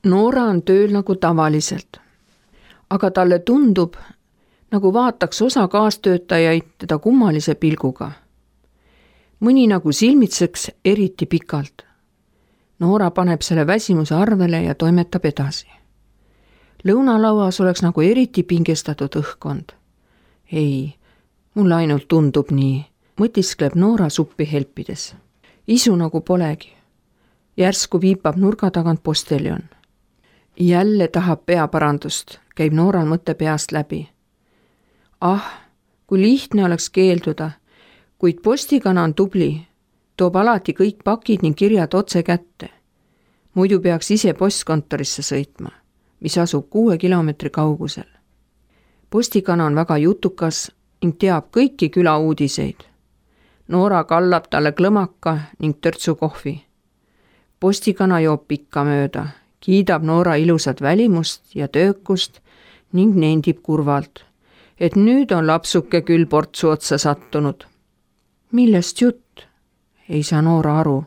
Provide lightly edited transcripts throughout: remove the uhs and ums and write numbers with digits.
Noora on tööl nagu tavaliselt, aga talle tundub, nagu vaataks osa kaastöötajaid teda kummalise pilguga. Mõni nagu silmitseks eriti pikalt. Noora paneb selle väsimuse arvele ja toimetab edasi. Lõunalauas oleks nagu eriti pingestatud õhkkond. Ei, mulle ainult tundub nii, mõtiskleb Noora suppi helpides. Isu nagu polegi. Järsku viipab nurga tagant posteljon. Jälle tahab peaparandust, käib Nooral mõtte peast läbi. Kui lihtne oleks keelduda, kuid postikana on tubli, toob alati kõik pakid ning kirjad otse kätte. Muidu peaks ise postkontorisse sõitma, mis asub 6 kilomeetri kaugusel. Postikana on väga jutukas ning teab kõiki küla uudiseid. Noora kallab talle klõmaka ning törtsu kohvi. Postikana joob pikka mööda, kiidab Noora ilusat välimust ja töökust ning nendib kurvalt, et nüüd on lapsuke küll portsu otsa sattunud. Millest jutt? Ei saa Noora aru.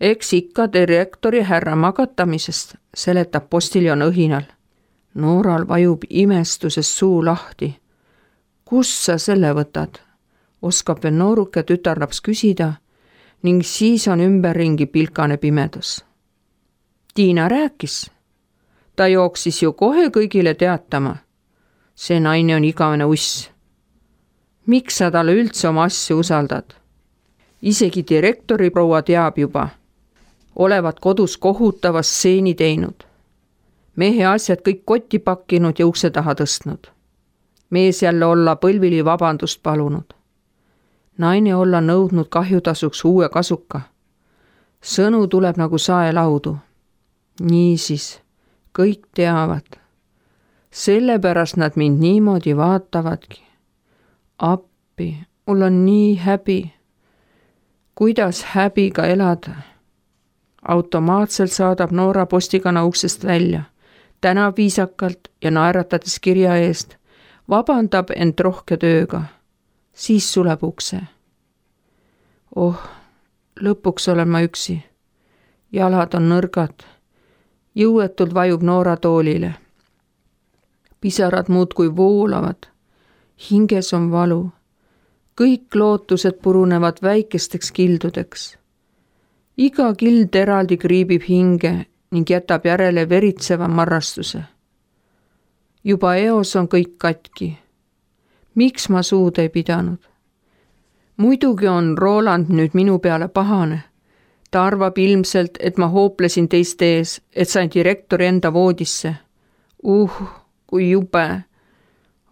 Eks ikka direktori härra magatamisest, seletab postiljon õhinal. Nooral vajub imestuses suu lahti. Kus sa selle võtad? Oskab veel nooruke tütarlaps küsida ning siis on ümberringi pilkane pimedus. Tiina rääkis. Ta jooksis ju kohe kõigile teatama. See naine on igavene uss. Miks sa talle üldse oma asju usaldad? Isegi direktori proua teab juba. Olevat kodus kohutava stseeni teinud. Mehe asjad kõik kotti pakkinud ja ukse taha tõstnud. Mees jälle olla põlvili vabandust palunud. Naine olla nõudnud kahjutasuks uue kasuka. Sõnu tuleb nagu saelaudu. Niisiis, kõik teavad. Sellepärast nad mind niimoodi vaatavadki. Appi, mul on nii häbi. Kuidas häbiga elada? Automaatselt saadab Noora postikana uksest välja. Tänab viisakalt ja naeratades kirja eest. Vabandab end rohke tööga. Siis suleb ukse. Lõpuks olen ma üksi. Jalad on nõrgad. Jõuetult vajub Noora toolile. Pisarad muudkui voolavad. Hinges on valu. Kõik lootused purunevad väikesteks kildudeks. Iga kild eraldi kriibib hinge ning jätab järele veritseva marrastuse. Juba eos on kõik katki. Miks ma suud ei pidanud? Muidugi on Roland nüüd minu peale pahane. Ta arvab ilmselt, et ma hooplesin teiste ees, et sain direktori enda voodisse. Kui jube.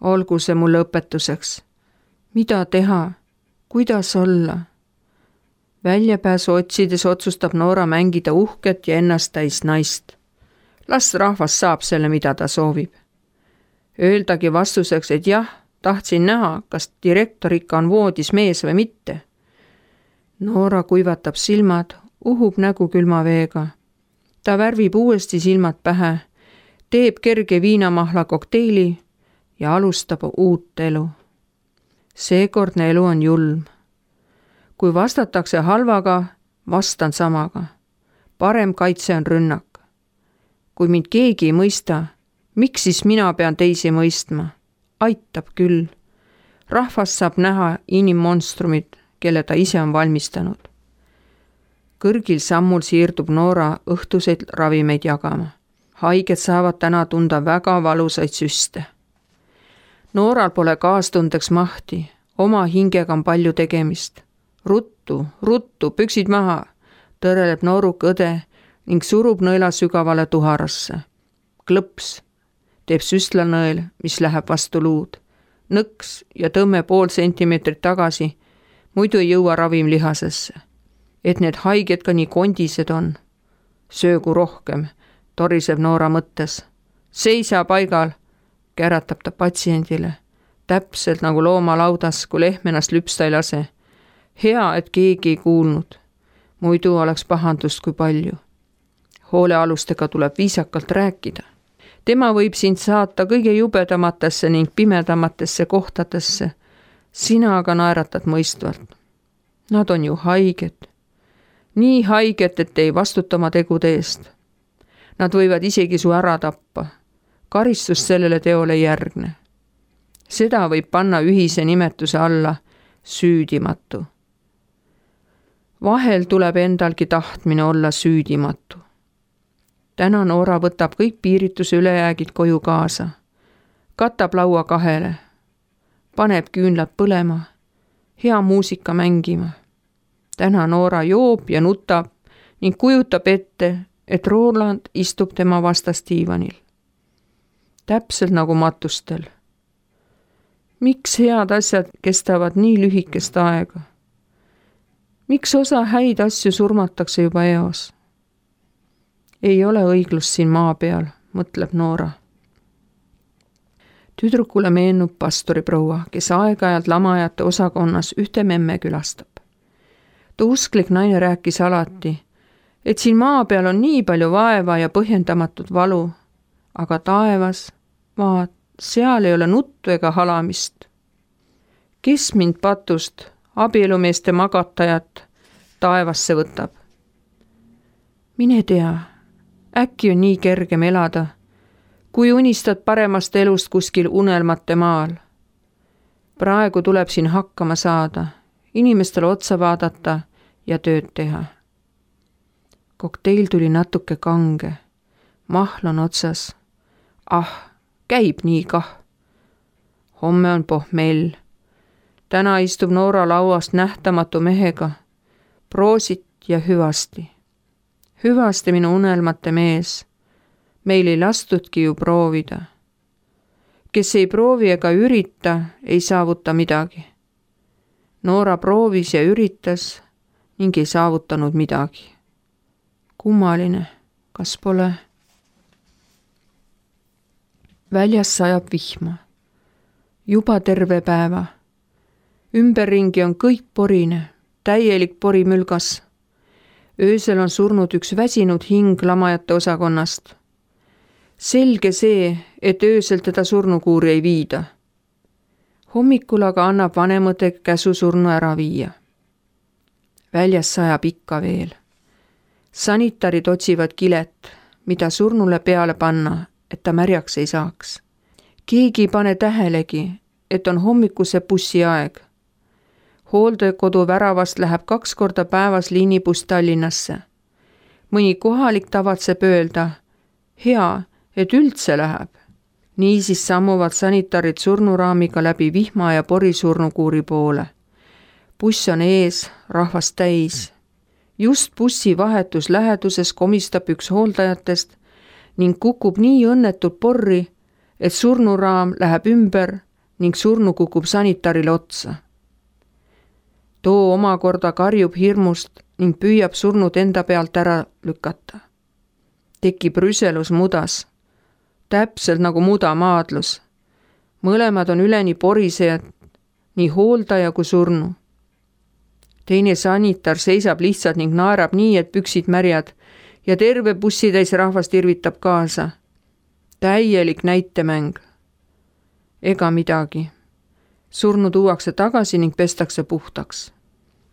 Olgu see mulle õpetuseks. Mida teha? Kuidas olla? Väljapääsu otsides otsustab Noora mängida uhket ja ennast täis naist. Las rahvas saab selle, mida ta soovib. Öeldagi vastuseks, et jah, tahtsin näha, kas direktor ikka on voodis mees või mitte. Noora kuivatab silmad, uhub nägu külma veega. Ta värvib uuesti silmad pähe, teeb kerge viinamahla kokteili ja alustab uut elu. Seekordne elu on julm. Kui vastatakse halvaga, vastan samaga. Parem kaitse on rünnak. Kui mind keegi ei mõista, miks siis mina pean teisi mõistma? Aitab küll. Rahvas saab näha inimmonstrumit, kelle ta ise on valmistanud. Kõrgil sammul siirdub Noora õhtuseid ravimeid jagama. Haiged saavad täna tunda väga valusaid süste. Nooral pole kaastundeks mahti, oma hingega on palju tegemist. Ruttu, püksid maha, tõreleb nooruk õde ning surub nõela sügavale tuharasse. Klõps, teeb süstlanõel, mis läheb vastu luud. Nõks ja tõmme pool sentimeetrit tagasi, muidu ei jõua ravim lihasesse. Et need haiged ka nii kondised on. Söögu rohkem, toriseb Noora mõttes. Seisa paigal, käratab ta patsiendile. Täpselt nagu loomalaudas, kui lehm ennast lüpsta ei lase. Hea, et keegi ei kuulnud. Muidu oleks pahandust kui palju. Hoolealustega tuleb viisakalt rääkida. Tema võib sind saata kõige jubedamatesse ning pimedamatesse kohtadesse. Sina aga naeratad mõistvalt. Nad on ju haiged. Nii haiged, et ei vastuta oma tegude eest. Nad võivad isegi su ära tappa. Karistus sellele teole ei järgne. Seda võib panna ühise nimetuse alla süüdimatu. Vahel tuleb endalgi tahtmine olla süüdimatu. Täna Noora võtab kõik piirituse ülejäägid koju kaasa. Katab laua kahele. Paneb küünlad põlema. Hea muusika mängima. Täna Noora joob ja nutab ning kujutab ette, et Roland istub tema vastas diivanil. Täpselt nagu matustel. Miks head asjad kestavad nii lühikest aega? Miks osa häid asju surmatakse juba eos? Ei ole õiglust siin maa peal, mõtleb Noora. Tüdrukule meenub pastoriproua, kes aeg-ajalt lamajate osakonnas ühte memme külastab. Ta usklik naine rääkis alati, et siin maa peal on nii palju vaeva ja põhjendamatut valu, aga taevas, vaat, seal ei ole nuttu ega halamist. Kes mind patust, abielumeeste magatajat, taevasse võtab? Mine tea, äkki on nii kergem elada, kui unistad paremast elust kuskil unelmate maal. Praegu tuleb siin hakkama saada, inimestele otsa vaadata ja tööd teha. Kokteil tuli natuke kange. Mahl on otsas. Käib nii kah. Homme on pohmell. Täna istub Noora lauast nähtamatu mehega. Proosit ja hüvasti. Hüvasti minu unelmate mees. Meil ei lastudki ju proovida. Kes ei proovi ega ürita, ei saavuta midagi. Noora proovis ja üritas ning ei saavutanud midagi. Kummaline, kas pole? Väljas sajab vihma. Juba terve päeva. Ümberringi on kõik porine, täielik porimülgas. Öösel on surnud üks väsinud hing lamajate osakonnast. Selge see, et öösel teda surnukuuri ei viida. Hommikul aga annab vanemõde käsu surnu ära viia. Väljas sajab ikka veel. Sanitarid otsivad kilet, mida surnule peale panna, et ta märjaks ei saaks. Keegi ei pane tähelegi, et on hommikuse bussi aeg. Hooldekodu väravast läheb 2 korda päevas liinibuss Tallinnasse. Mõni kohalik tavatseb öelda, hea, et üldse läheb. Niisiis sammuvad sanitarid surnuraamiga läbi vihma ja pori surnukuuri poole. Buss on ees, rahvast täis. Just bussi vahetus läheduses komistab üks hooldajatest ning kukub nii õnnetult porri, et surnuraam läheb ümber ning surnu kukub sanitarile otsa. Too omakorda karjub hirmust ning püüab surnud enda pealt ära lükata. Tekib rüselus mudas, täpselt nagu mudamaadlus. Mõlemad on üleni porisejad, nii hooldaja kui surnu. Teine sanitar seisab lihtsalt ning naerab nii, et püksid märjad ja terve bussitäis rahvast irvitab kaasa. Täielik näitemäng. Ega midagi. Surnu tuuakse tagasi ning pestakse puhtaks.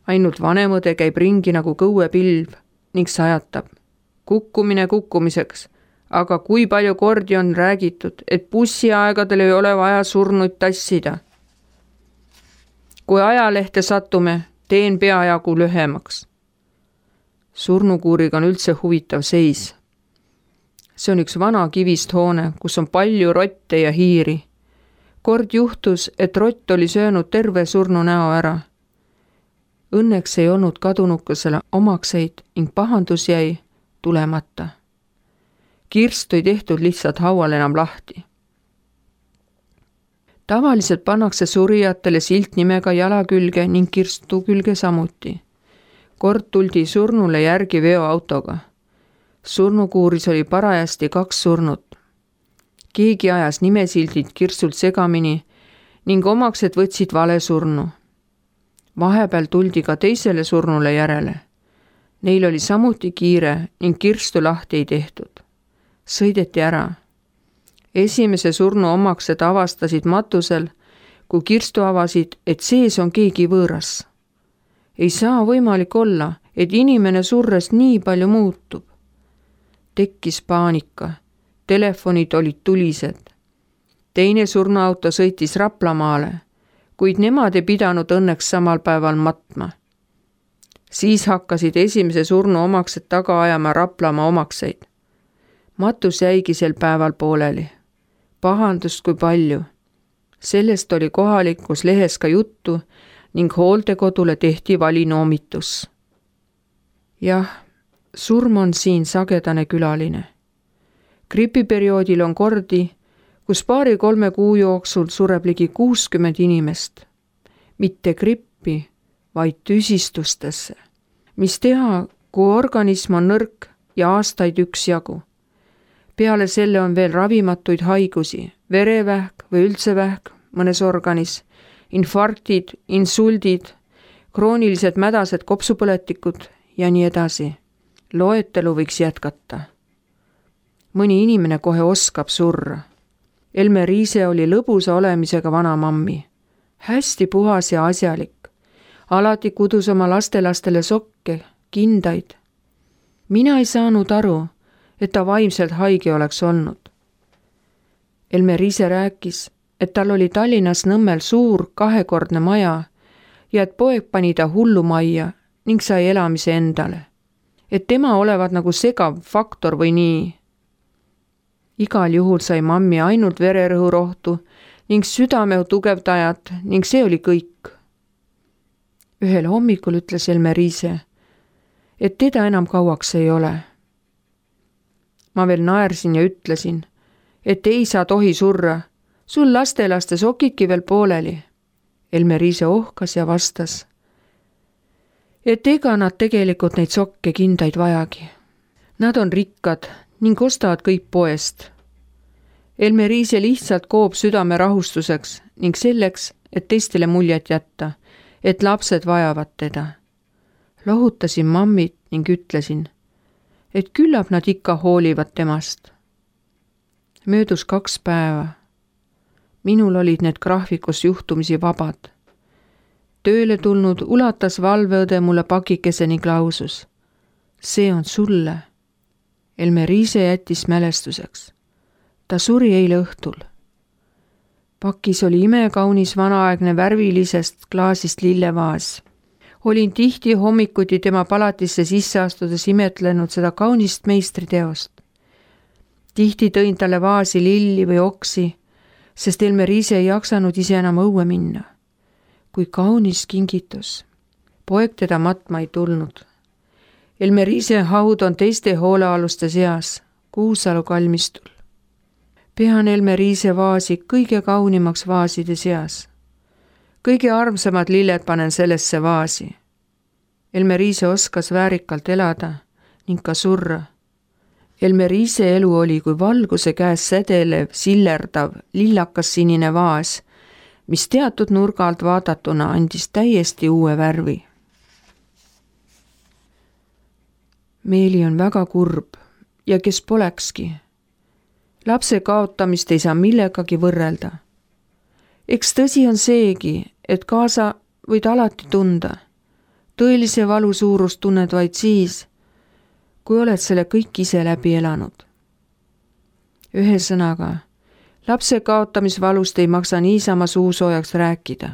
Ainult vanemõde käib ringi nagu kõuepilv ning sajatab. Kukkumine kukkumiseks, aga kui palju kordi on räägitud, et bussiaegadel ei ole vaja surnuid tassida. Kui ajalehte satume, teen peajagu lühemaks. Surnukuuriga on üldse huvitav seis. See on üks vana kivist hoone, kus on palju rotte ja hiiri. Kord juhtus, et rott oli söönud terve surnu näo ära. Õnneks ei olnud kadunukesele omakseid ning pahandus jäi tulemata. Kirstu ei tehtud lihtsalt haual enam lahti. Tavaliselt pannakse surijatele silt nimega jala külge ning kirstu külge samuti. Kord tuldi surnule järgi veoautoga. Surnukuuris oli parajasti 2 surnut. Keegi ajas nimesildid kirstult segamini ning omaksed võtsid vale surnu. Vahepeal tuldi ka teisele surnule järele. Neil oli samuti kiire ning kirstu lahti ei tehtud. Sõideti ära. Esimese surnu omaksed avastasid matusel, kui kirstu avasid, et sees on keegi võõras. Ei saa võimalik olla, et inimene surres nii palju muutub. Tekkis paanika. Telefonid olid tulised. Teine surnuauto sõitis Raplamaale, kuid nemad ei pidanud õnneks samal päeval matma. Siis hakkasid esimese surnu omaksed taga ajama Raplamaa omakseid. Matus jäigi sel päeval pooleli. Pahandust kui palju. Sellest oli kohalikus lehes ka juttu ning hooldekodule tehti valinoomitus. Jah, surm on siin sagedane külaline. Gripiperioodil on kordi, kus 2-3 kuu jooksul sureb ligi 60 inimest. Mitte grippi, vaid tüsistustesse. Mis teha, kui organism on nõrk ja aastaid üksjagu. Peale selle on veel ravimatuid haigusi, verevähk või üldse vähk mõnes organis, infarktid, insuldid, kroonilised mädased kopsupõletikud ja nii edasi. Loetelu võiks jätkata. Mõni inimene kohe oskab surra. Elme Riise oli lõbusa olemisega vanamammi. Hästi puhas ja asjalik. Alati kudus oma lastelastele sokke, kindaid. Mina ei saanud aru, et ta vaimselt haige oleks olnud. Elme Riise rääkis, et tal oli Tallinnas Nõmmel suur 2-kordne maja ja et poeg pani ta hullumajja ning sai elamise endale. Et tema olevat nagu segav faktor või nii. Igal juhul sai mammi ainult vererõhurohtu ning südame tugevdajat ning see oli kõik. Ühel hommikul ütles Elme Riise, et teda enam kauaks ei ole. Ma veel naersin ja ütlesin, et ei saa tohi surra, sul lastelaste sokidki veel pooleli. Elme Riise ohkas ja vastas, et ega nad tegelikult neid sokke kindaid vajagi. Nad on rikkad ning ostavad kõik poest. Elme Riise lihtsalt koob südame rahustuseks ning selleks, et teistele muljet jätta, et lapsed vajavad teda. Lohutasin mammit ning ütlesin, et küllap nad ikka hoolivad temast. Möödus 2 päeva. Minul olid need graafikus juhtumisi vabad. Tööle tulnud ulatas valveõde mulle pakikese ning lausus. See on sulle. Elme Riise jättis mälestuseks. Ta suri eile õhtul. Pakis oli imekaunis vanaaegne värvilisest klaasist lillevaas. Olin tihti hommikuti tema palatisse sisse astudes imetlenud seda kaunist meistriteost. Tihti tõin talle vaasi lilli või oksi, sest Elme Riise ei jaksanud ise enam õue minna. Kui kaunis kingitus. Poeg teda matma ei tulnud. Elme Riise haud on teiste hoolealuste seas, Kuusalu kalmistul. Pean Elme Riise vaasi kõige kaunimaks vaaside seas. Kõige armsamad lilled panen sellesse vaasi. Elme Riise oskas väärikalt elada ning ka surra. Elme Riise elu oli kui valguse käes sädelev, sillerdav, lillakas sinine vaas, mis teatud nurga alt vaadatuna andis täiesti uue värvi. Meeli on väga kurb ja kes polekski. Lapse kaotamist ei saa millegagi võrrelda. Eks tõsi on seegi, et kaasa võid alati tunda. Tõelise valu suurust tunned vaid siis, kui oled selle kõik ise läbi elanud. Ühesõnaga, lapse kaotamisvalust ei maksa niisama suusoojaks rääkida.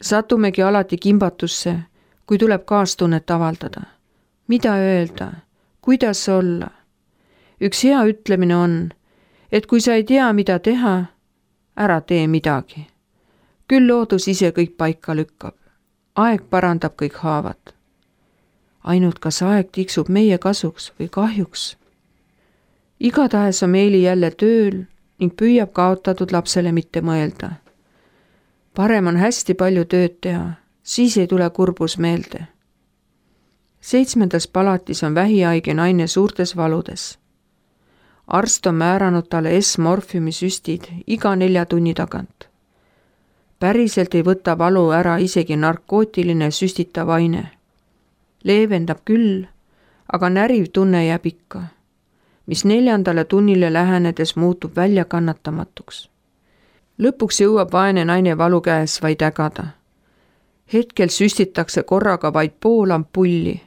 Satumegi alati kimbatusse, kui tuleb kaastunnet avaldada. Mida öelda? Kuidas olla? Üks hea ütlemine on, et kui sa ei tea, mida teha, ära tee midagi. Küll loodus ise kõik paika lükkab. Aeg parandab kõik haavad. Ainult kas aeg tiksub meie kasuks või kahjuks. Igatahes on Meeli jälle tööl ning püüab kaotatud lapsele mitte mõelda. Parem on hästi palju tööd teha, siis ei tule kurbus meelde. 7. palatis on vähihaige naine suurtes valudes. Arst on määranud talle S-morfiumi süstid iga 4 tunni tagant. Päriselt ei võta valu ära isegi narkootiline süstitav aine. Leevendab küll, aga näriv tunne jääb ikka, mis 4. tunnile lähenedes muutub väljakannatamatuks. Lõpuks jõuab vaene naine valu käes vaid ägada. Hetkel süstitakse korraga vaid pool ampulli.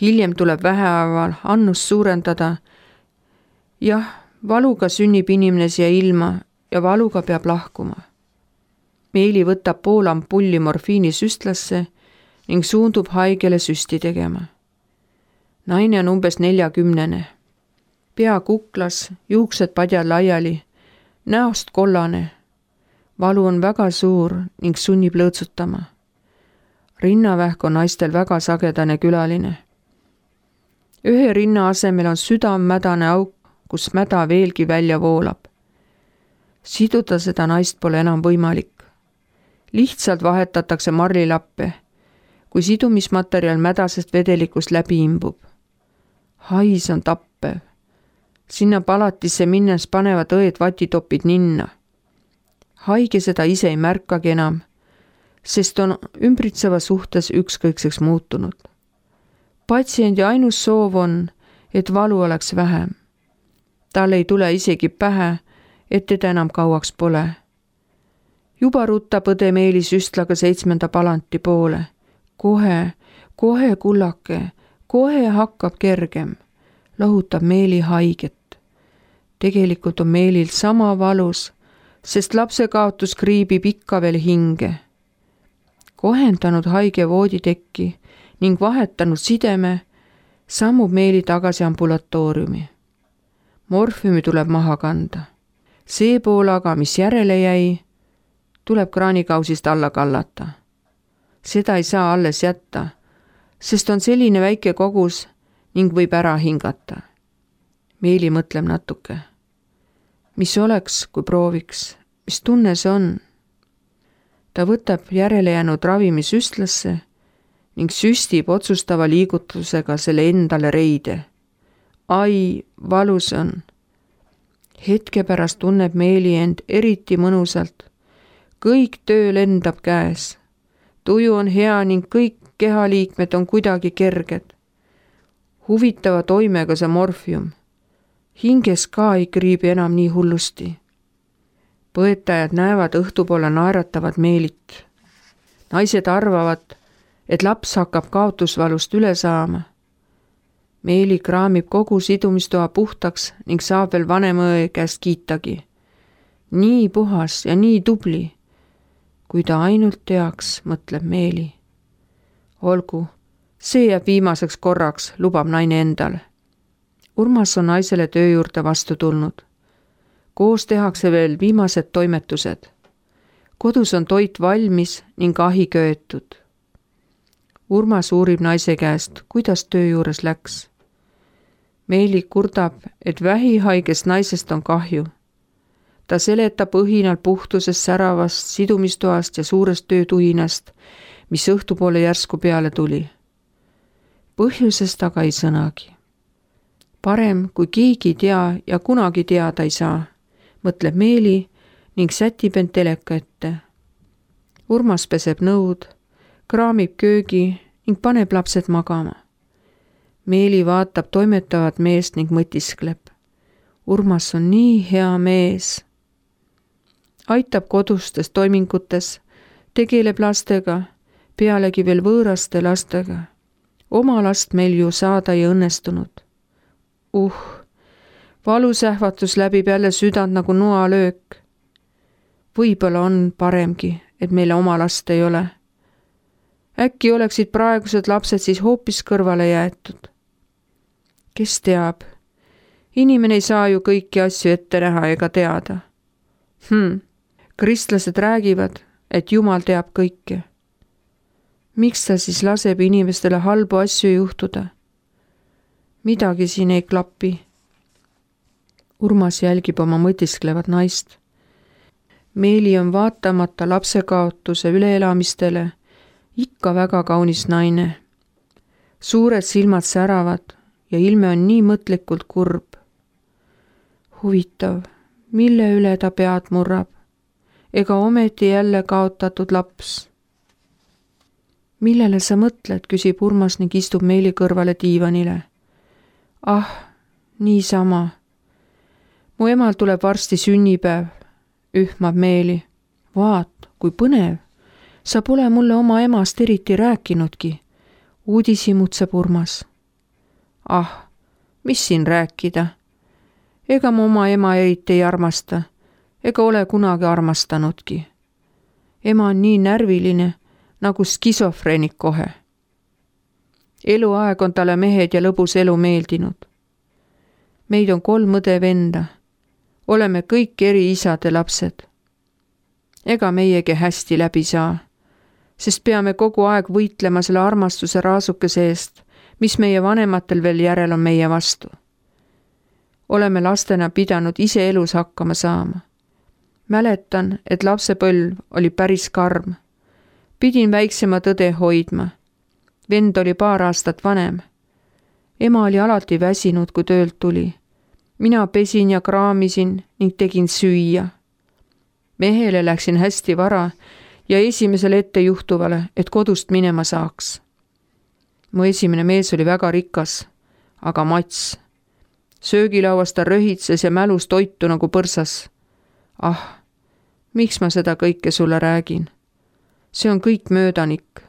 Hiljem tuleb vähehaaval annust suurendada jah, valuga sünnib inimene siia ilma ja valuga peab lahkuma. Meeli võtab pool ampulli morfiini süstlasse ning suundub haigele süsti tegema. Naine on umbes 40. Pea kuklas, juuksed padjal laiali, näost kollane. Valu on väga suur ning sunnib lõõtsutama. Rinnavähk on naistel väga sagedane külaline. Ühe rinna asemel on südammädane auk, kus mäda veelgi välja voolab. Siduda seda naist pole enam võimalik. Lihtsalt vahetatakse marlilappe, kui sidumismaterjal mädasest vedelikust läbi imbub. Hais on tappev. Sinna palatisse minnes panevad õed vatitopid ninna. Haige seda ise ei märkagi enam, sest on ümbritseva suhtes ükskõikseks muutunud. Patsiendi ainus soov on, et valu oleks vähem. Tal ei tule isegi pähe, et teda enam kauaks pole. Juba rutab õde Meeli süstlaga 7. palanti poole. Kohe kullake, kohe hakkab kergem, lohutab Meeli haiget. Tegelikult on Meelil sama valus, sest lapse kaotus kriibib ikka veel hinge. Kohendanud haige vooditekki ning vahetanud sideme, sammub Meeli tagasi ambulatooriumi. Morfiumi tuleb maha kanda. See pool aga, mis järele jäi, tuleb kraanikausist alla kallata. Seda ei saa alles jätta, sest on selline väike kogus ning võib ära hingata. Meeli mõtleb natuke. Mis oleks, kui prooviks? Mis tunne see on? Ta võtab järele jäänud ravimi süstlasse ning süstib otsustava liigutusega selle endale reide. Ai, valus on. Hetke pärast tunneb Meeli end eriti mõnusalt. Kõik töö lendab käes. Tuju on hea ning kõik kehaliikmed on kuidagi kerged. Huvitava toimega see morfium. Hinges ka ei kriibi enam nii hullusti. Põetajad näevad õhtupoole naeratavad Meelit. Naised arvavad, et laps hakkab kaotusvalust üle saama. Meeli kraamib kogu sidumistoa puhtaks ning saab veel vanemõe käest kiitagi. Nii puhas ja nii tubli. Kui ta ainult teaks, mõtleb Meeli. Olgu, see jääb viimaseks korraks, lubab naine endale. Urmas on naisele töö juurde vastu tulnud. Koos tehakse veel viimased toimetused. Kodus on toit valmis ning ahi köetud. Urmas uurib naise käest, kuidas töö juures läks. Meeli kurdab, et vähihaigest naisest on kahju. Ta seletab õhinal puhtusest säravast sidumistoast ja suurest töötuhinast, mis õhtupoole järsku peale tuli. Põhjusest aga ei sõnagi. Parem, kui keegi ei tea ja kunagi teada ei saa, mõtleb Meeli ning sätib end teleka ette. Urmas peseb nõud, kraamib köögi ning paneb lapsed magama. Meeli vaatab toimetavat meest ning mõtiskleb. Urmas on nii hea mees. Aitab kodustes toimingutes, tegeleb lastega, pealegi veel võõraste lastega. Oma last meil ju saada ei õnnestunud. Valusähvatus läbib jälle südant nagu noalöök. Võib-olla on paremgi, et meile oma last ei ole. Äkki oleksid praegused lapsed siis hoopis kõrvale jäetud. Kes teab? Inimene ei saa ju kõiki asju ette näha ega teada. Kristlased räägivad, et Jumal teab kõike. Miks ta siis laseb inimestele halbu asju juhtuda? Midagi siin ei klapi. Urmas jälgib oma mõtisklevat naist. Meeli on vaatamata lapsekaotuse üleelamistele ikka väga kaunis naine. Suured silmad säravad ja ilme on nii mõtlikult kurb. Huvitav, mille üle ta pead murrab? Ega ometi jälle kaotatud laps? Millele sa mõtled, küsib Urmas ning istub Meeli kõrvale diivanile. Niisama. Mu emal tuleb varsti sünnipäev, ühmab Meeli. Vaat, kui põnev. Sa pole mulle oma emast eriti rääkinudki. Uudishimutseb Urmas. Mis siin rääkida? Ega ma oma ema eriti ei armasta, ega ole kunagi armastanudki. Ema on nii närviline, nagu skisofreenik kohe. Eluaeg on talle mehed ja lõbus elu meeldinud. Meid on 3 õde-venda. Oleme kõik eri isade lapsed. Ega meiegi hästi läbi saa, sest peame kogu aeg võitlema selle armastuse raasukese eest, mis meie vanematel veel järel on meie vastu. Oleme lastena pidanud ise elus hakkama saama. Mäletan, et lapsepõlv oli päris karm. Pidin väiksema tõde hoidma. Vend oli paar aastat vanem. Ema oli alati väsinud, kui töölt tuli. Mina pesin ja kraamisin ning tegin süüa. Mehele läksin hästi vara ja esimesele ettejuhtuvale, et kodust minema saaks. Mu esimene mees oli väga rikas, aga mats. Söögilauas ta röhitses ja mälus toitu nagu põrsas. Ah, miks ma seda kõike sulle räägin? See on kõik möödanik.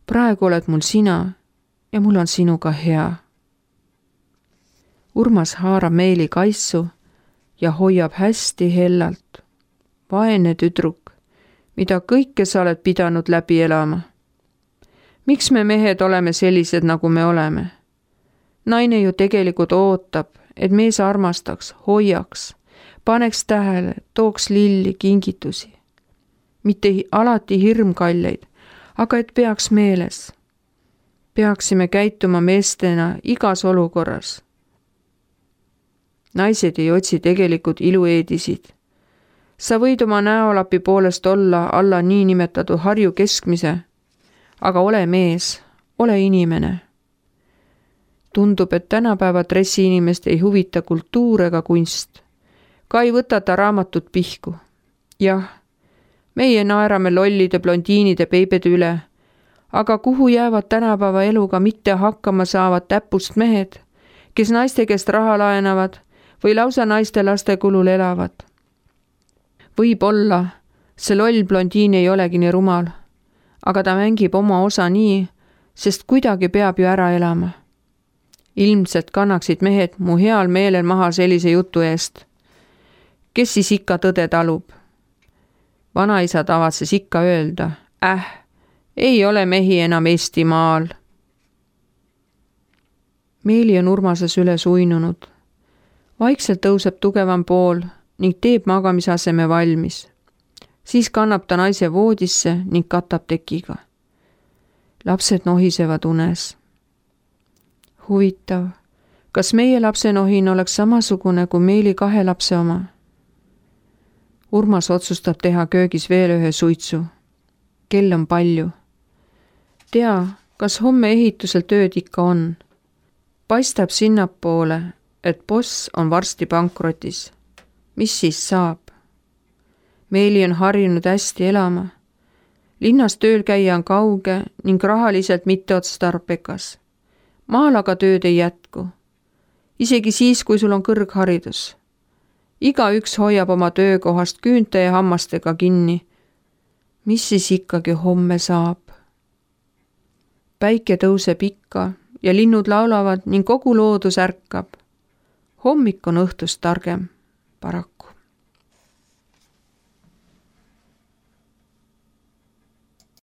Praegu oled mul sina ja mul on sinuga hea. Urmas haarab Meeli kaisu ja hoiab hästi hellalt. Vaene tüdruk, mida kõike sa oled pidanud läbi elama. Miks me mehed oleme sellised, nagu me oleme? Naine ju tegelikult ootab, et mees armastaks, hoiaks, paneks tähele, tooks lilli, kingitusi. Mitte alati hirmkalleid, aga et peaks meeles. Peaksime käituma meestena igas olukorras. Naised ei otsi tegelikult ilueedisid. Sa võid oma näolapi poolest olla alla niinimetatud Harju keskmise, aga ole mees, ole inimene. Tundub, et tänapäeva dressiinimest ei huvita kultuur ega kunst. Ka ei võtata raamatut pihku. Jah, meie naerame lollide blondiinide beibede üle, aga kuhu jäävad tänapäeva eluga mitte hakkama saavad täpust mehed, kes naiste käest raha laenavad või lausa naiste laste kulul elavad. Võib-olla see loll blondiin ei olegi nii rumal, aga ta mängib oma osa nii, sest kuidagi peab ju ära elama. Ilmselt kannaksid mehed mu heal meelel maha sellise jutu eest. Kes siis ikka tõde talub? Vanaisa tavatses ikka öelda, ei ole mehi enam Eestimaal. Meeli on Urmases üles uinunud. Vaikselt tõuseb tugevam pool ning teeb magamisaseme valmis. Siis kannab ta naise voodisse ning katab tekiga. Lapsed nohisevad unes. Huvitav, kas meie lapsenohin oleks samasugune kui Meeli 2 lapse oma? Urmas otsustab teha köögis veel ühe suitsu. Kell on palju. Tea, kas homme ehitusel tööd ikka on. Paistab sinnapoole, et boss on varsti pankrotis. Mis siis saab? Meeli on harjunud hästi elama. Linnas tööl käia on kauge ning rahaliselt mitteotstarbekas. Maal aga tööd ei jätku. Isegi siis, kui sul on kõrgharidus. Igaüks hoiab oma töökohast küünte ja hammastega kinni. Mis siis ikkagi homme saab? Päike tõuseb ikka ja linnud laulavad ning kogu loodus ärkab. Hommik on õhtust targem, paraku.